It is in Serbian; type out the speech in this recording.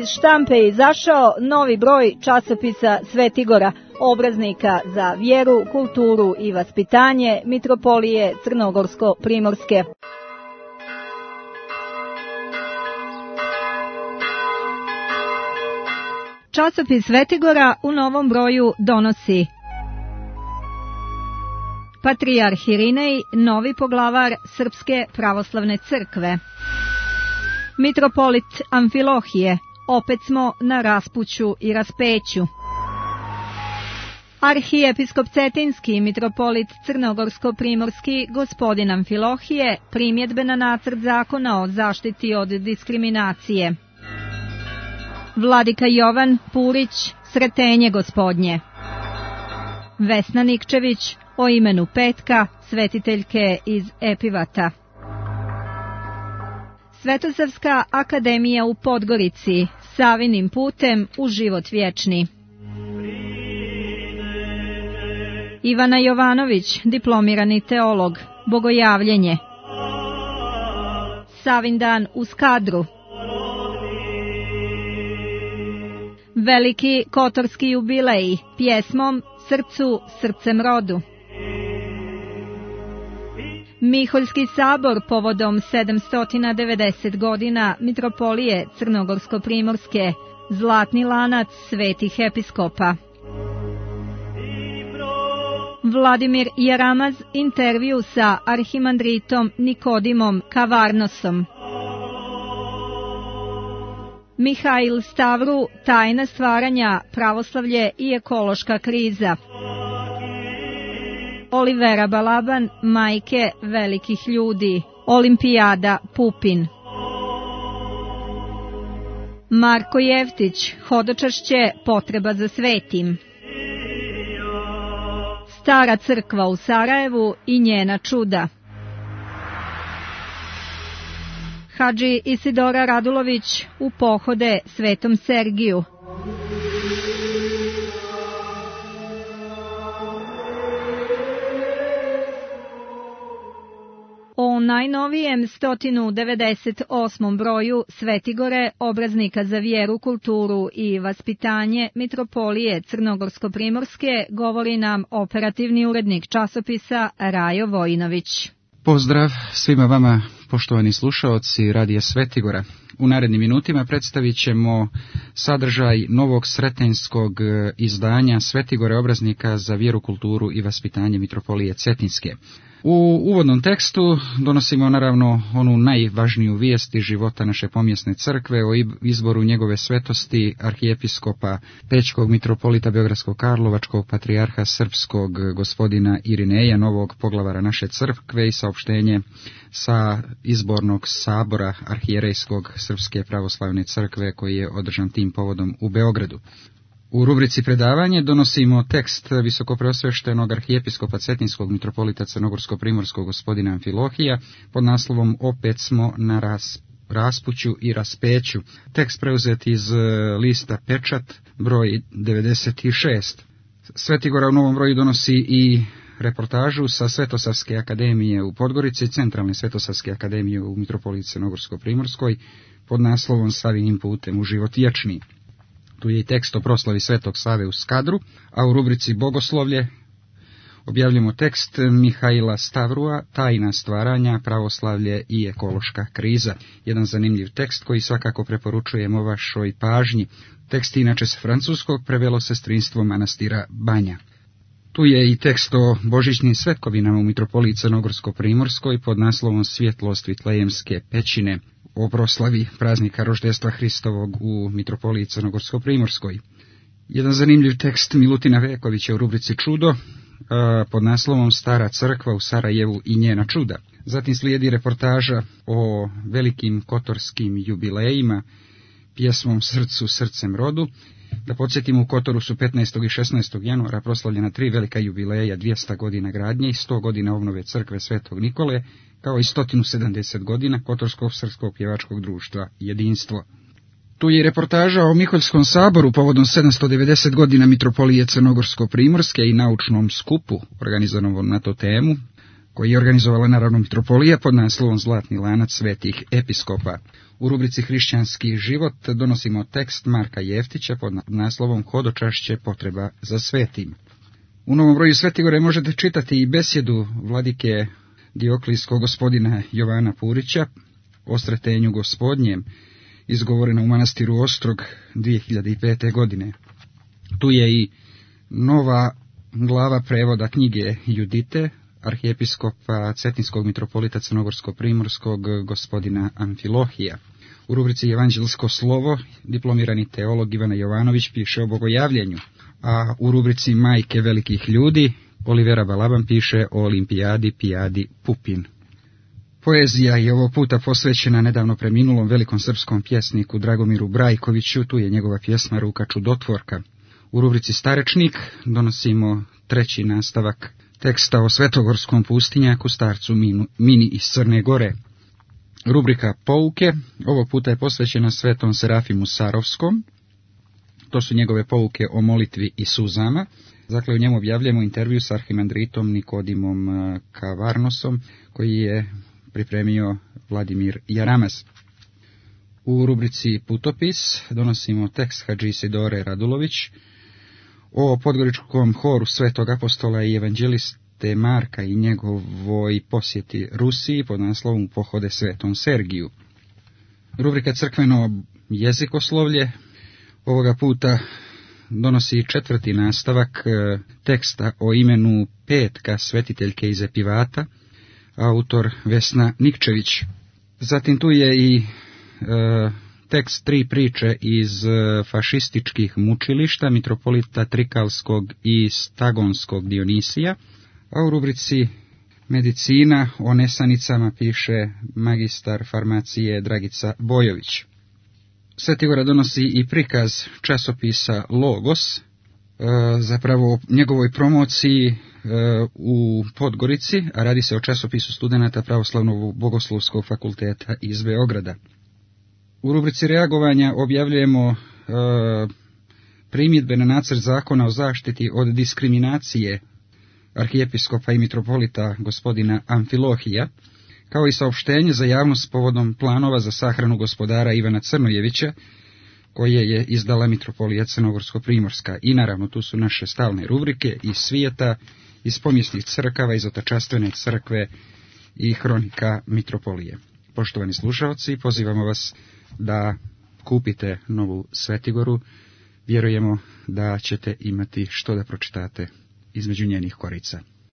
Iz štampe je izašao novi broj časopisa Svetigora, obraznika za vjeru, kulturu i vaspitanje Mitropolije Crnogorsko-Primorske. Časopis Svetigora u novom broju donosi: Patrijarh Irinej, novi poglavar Srpske pravoslavne crkve. Mitropolit Amfilohije, opet smo na raspuću i raspeću. Arhijepiskop Cetinski, mitropolit Crnogorsko-Primorski, gospodin Amfilohije, primjedbe na nacrt zakona o zaštiti od diskriminacije. Vladika Jovan Purić, sretenje gospodnje. Vesna Nikčević, o imenu Petka, svetiteljke iz Epivata. Svetosavska akademija u Podgorici, Savinim putem u život vječni. Ivana Jovanović, diplomirani teolog, bogojavljenje. Savin dan u Skadru. Veliki kotorski jubilej, pjesmom Srcu, srcem rodu. Miholjski sabor povodom 790 godina Mitropolije Crnogorsko-Primorske, zlatni lanac svetih episkopa. Vladimir Jaramaz, intervju sa arhimandritom Nikodimom Kavarnosom. Mihail Stavru, tajna stvaranja, pravoslavlje i ekološka kriza. Olivera Balaban, majke velikih ljudi, Olimpijada Pupin. Marko Jevtić, hodočašće, potreba za svetim. Stara crkva u Sarajevu i njena čuda. Hadži Isidora Radulović, u pohode Svetom Sergiju. O najnovijem 198. broju Svetigore, obraznika za vjeru, kulturu i vaspitanje Mitropolije Crnogorsko-Primorske, govori nam operativni urednik časopisa Rajo Vojinović. Pozdrav svima vama, poštovani slušaoci Radija Svetigora. U narednim minutima predstavit ćemo sadržaj novog sretenjskog izdanja Svetigore, obraznika za vjeru, kulturu i vaspitanje Mitropolije Cetinske. U uvodnom tekstu donosimo naravno onu najvažniju vijest iz života naše pomjesne crkve o izboru njegove svetosti arhijepiskopa Pećkog mitropolita Beogradskog Karlovačkog patrijarha srpskog gospodina Irineja, novog poglavara naše crkve, i saopštenje sa izbornog sabora arhijerejskog Srpske pravoslavne crkve koji je održan tim povodom u Beogradu. U rubrici predavanje donosimo tekst visokopreosveštenog arhijepiskopa Cetinskog mitropolita Crnogorsko-Primorskog gospodina Amfilohija pod naslovom Opet smo na raspuću i raspeću. Tekst preuzet iz lista Pečat, broj 96. Svetigora u novom broju donosi i reportažu sa Svetosavske akademije u Podgorici, centralne Svetosavske akademije u mitropoliji Crnogorsko-Primorskoj pod naslovom Savinim putem u život vječni. Tu je i tekst o proslavi Svetog Save u Skadru, a u rubrici Bogoslovlje objavljamo tekst Mihaila Stavrua, tajna stvaranja, pravoslavlje i ekološka kriza. Jedan zanimljiv tekst koji svakako preporučujemo vašoj pažnji. Tekst inače s francuskog prevelo sestrinstvo manastira Banja. Tu je i tekst o božićnim svetkovinama u Mitropoliji Crnogorsko-Primorskoj pod naslovom Svjetlost Vitlejemske pećine, o proslavi praznika roždestva Hristovog u Mitropoliji Crnogorsko-Primorskoj. Jedan zanimljiv tekst Milutina Vekovića u rubrici Čudo pod naslovom Stara crkva u Sarajevu i njena čuda. Zatim slijedi reportaža o velikim kotorskim jubilejima, pjesmom Srcu, srcem rodu. Da podsjetimo, u Kotoru su 15. i 16. januara proslavljena 3 velika jubileja, 200 godina gradnje i 100 godina obnove crkve Svetog Nikole, kao i 170 godina Kotorskog srpskog pjevačkog društva Jedinstvo. Tu je reportaža o Miholjskom saboru povodom 790 godina Mitropolije Crnogorsko-Primorske i naučnom skupu organizovanom na tu temu. koji je organizovala naravno mitropolija pod naslovom Zlatni lanac svetih episkopa. U rubrici Hrišćanski život donosimo tekst Marka Jeftića pod naslovom Hodočašće potreba za svetim. U novom broju Svetigore možete čitati i besjedu vladike Dioklijskog gospodina Jovana Purića o sretenju gospodnjem, izgovorena u manastiru Ostrog 2005. godine. Tu je i nova glava prevoda knjige Judite, arhijepiskopa Cetinskog mitropolita Crnogorsko-primorskog gospodina Amfilohija. U rubrici Evanđelsko slovo diplomirani teolog Ivana Jovanović piše o bogojavljenju, a u rubrici Majke velikih ljudi Olivera Balaban piše o olimpijadi Pijadi Pupin. Poezija je ovog puta posvećena nedavno preminulom velikom srpskom pjesniku Dragomiru Brajkoviću, tu je njegova pjesma Ruka čudotvorka. U rubrici Starečnik donosimo treći nastavak teksta o svetogorskom pustinjaku starcu Mini iz Crne Gore. Rubrika Pouke ovog puta je posvećena svetom Serafimu Sarovskom. To su njegove pouke o molitvi i suzama. Dakle, u njemu objavljamo intervju s arhimandritom Nikodimom Kavarnosom, koji je pripremio Vladimir Jaramaz. U rubrici Putopis donosimo tekst Hadži Isidore Radulović o podgoričkom horu Svetog apostola i evanđeliste Marka i njegovoj posjeti Rusiji pod naslovom Pohode Svetom Sergiju. Rubrika Crkveno jezikoslovlje ovoga puta donosi četvrti nastavak teksta o imenu Petka, svetiteljke iz Epivata, autor Vesna Nikčević. Zatim tu je i tekst 3 priče iz fašističkih mučilišta mitropolita Trikalskog i Stagonskog Dionisija, a u rubrici Medicina o nesanicama piše magistar farmacije Dragica Bojović. Svetigora donosi i prikaz časopisa Logos, zapravo njegovoj promociji u Podgorici, a radi se o časopisu studenata Pravoslavnog bogoslovskog fakulteta iz Beograda. U rubrici reagovanja objavljujemo primjedbe na nacrt zakona o zaštiti od diskriminacije arhijepiskopa i mitropolita gospodina Amfilohija, kao i saopštenje za javnost povodom planova za sahranu gospodara Ivana Crnojevića, koje je izdala mitropolija Crnogorsko-primorska. I naravno tu su naše stalne rubrike iz svijeta, iz pomjesnih crkava, iz Otačastvene crkve i hronika mitropolije. Poštovani slušalci, pozivamo vas da kupite novu Svetigoru. Vjerujemo da ćete imati što da pročitate između njenih korica.